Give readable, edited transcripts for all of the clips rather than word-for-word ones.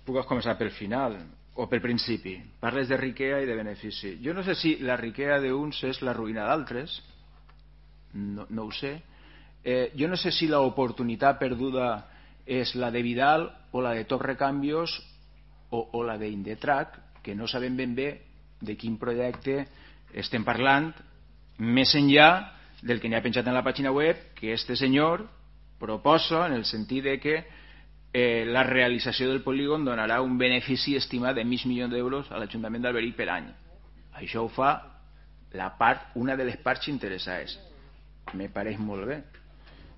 Puc començar pel final o pel principi. Parles de riquea i de benefici. Jo no sé si la riquea d'uns és la ruïna d'altres, no ho sé. Jo no sé si l'oportunitat perduda és la de Vidal o la de Top Recambios o la d'Indetrack, que no sabem ben bé de quin projecte estem parlant, més enllà del que n'hi ha penjat en la pàgina web, que este senyor proposa en el sentit de que la realització del polígon donarà un benefici estimat de $500.000 a l'Ajuntament d'Alberic per any. Això ho fa una de les parts interessades. Me pareix molt bé.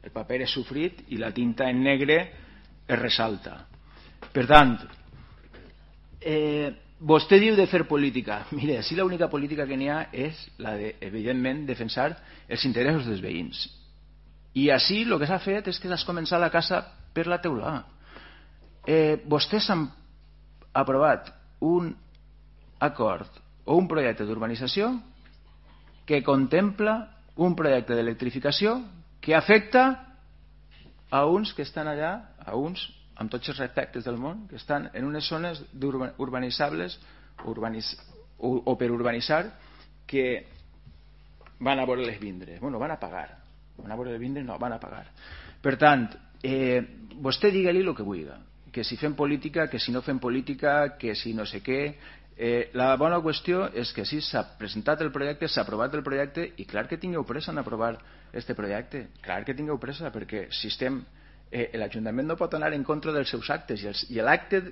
El paper és sofrit i la tinta en negre es ressalta. Per tant, vostè diu de fer política. Mire, si l'única política que n'hi ha és la de, evidentment, defensar els interessos dels veïns. I així el que s'ha fet és que s'ha començat la casa per la teulada. Vostès han aprovat un acord o un projecte d'urbanització que contempla un projecte d'electrificació que afecta a uns que estan allà, a uns, amb tots els respectes del món, que estan en unes zones urbanitzables o per urbanitzar, que van a veure-les vindre. Bueno, van a pagar. Van a veure-les vindre? No, van a pagar. Per tant, vostè digue-li el que vulgui, que si fem política, que si no fem política, que si no sé què. La bona qüestió és que sí, s'ha presentat el projecte, s'ha aprovat el projecte, i clar que tingueu pressa en aprovar este projecte, clar que tingueu pressa, perquè si estem... l'Ajuntament no pot anar en contra dels seus actes, i l'acte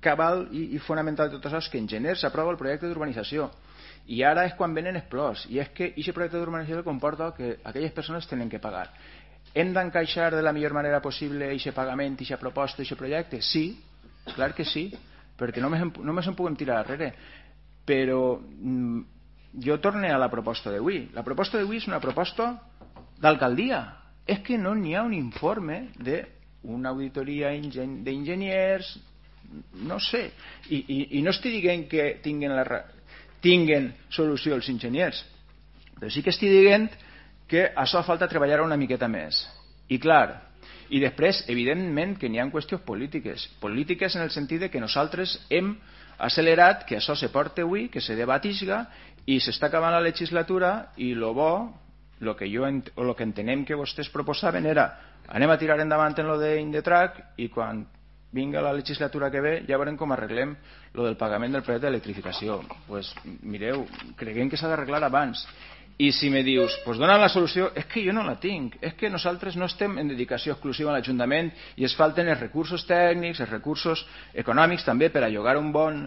cabal i fonamental de tot això és que en gener s'aprova el projecte d'urbanització, i ara és quan venen els plors, i és que aquest projecte d'urbanització comporta que aquelles persones tenen que pagar. Hem d'encaixar de la millor manera possible aquest pagament, aquesta proposta, aquest projecte? Sí, clar que sí, perquè només en puguem tirar darrere. Però jo torno a la proposta d'avui. La proposta d'avui és una proposta d'alcaldia. És que no n'hi ha un informe d'una auditoria d'enginyers, no sé. I no estic dient que tinguen solució els enginyers, però sí que estic dient que això falta treballar una miqueta més. I clar, i després, evidentment, que n'hi ha qüestions polítiques. Polítiques en el sentit que nosaltres hem accelerat que això se porta avui, que se debatisga, i s'està acabant la legislatura, i el bo, el que entenem que vostès proposaven era anem a tirar endavant en lo d'Indetrack i quan vinga la legislatura que ve ja veurem com arreglem lo del pagament del projecte d'electrificació. Pues mireu, creguem que s'ha d'arreglar abans. I si me dius, pues dona la solució, és que jo no la tinc, és que nosaltres no estem en dedicació exclusiva a l'Ajuntament i es falten els recursos tècnics, els recursos econòmics també per a llogar un bon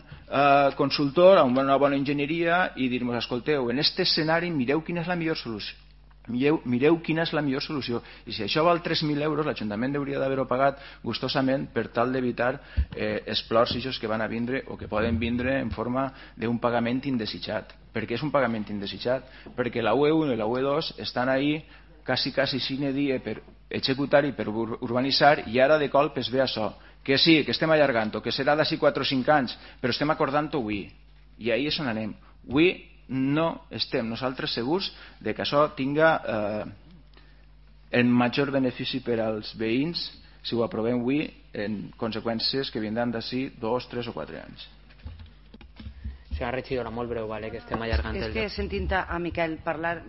consultor, una bona enginyeria i dir-nos, escolteu, en aquest escenari mireu quina és la millor solució. Mireu quina és la millor solució, i si això val 3.000 euros l'Ajuntament hauria d'haver-ho pagat gustosament per tal d'evitar els plors que van a vindre o que poden vindre en forma d'un pagament indesitjat. Per què és un pagament indesitjat? Perquè la UE1 i la UE2 estan ahí quasi sine die per executar i per urbanitzar, i ara de colp es ve això, que sí, que estem allargant, que serà d'ací 4 o 5 anys, però estem acordant-ho avui, i ahí és on anem. Avui no estem nosaltres segurs de que això tinga el major benefici per als veïns si ho aprovem avui en conseqüències que vindran d'ací 2, 3 o 4 anys. Senyora regidora, molt breu, vale, que estem allargant és que sentint a Miquel parlar